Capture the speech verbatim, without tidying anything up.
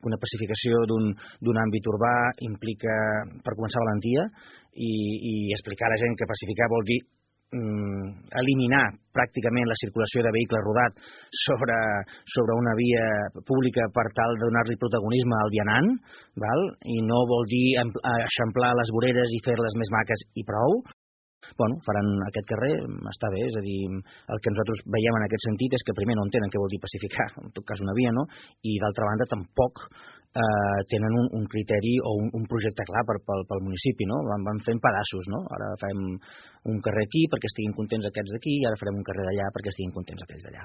una pacificació d'un àmbit urbà implica, per començar, valentia i, i explicar a la gent que pacificar vol dir eliminar pràcticament la circulació de vehicle rodat sobre, sobre una via pública per tal de donar-li protagonisme al vianant, val? I no vol dir eixamplar les voreres i fer-les més maques i prou. Bueno, faran aquest carrer, està bé, és a dir, el que nosaltres veiem en aquest sentit és que primer no entenen què vol dir pacificar, en tot cas una via, no? I d'altra banda tampoc eh, tenen un, un criteri o un, un projecte clar per, pel, pel municipi, no? Van, van fent pedaços, no? Ara fem un carrer aquí perquè estiguin contents aquests d'aquí i ara farem un carrer d'allà perquè estiguin contents aquells d'allà.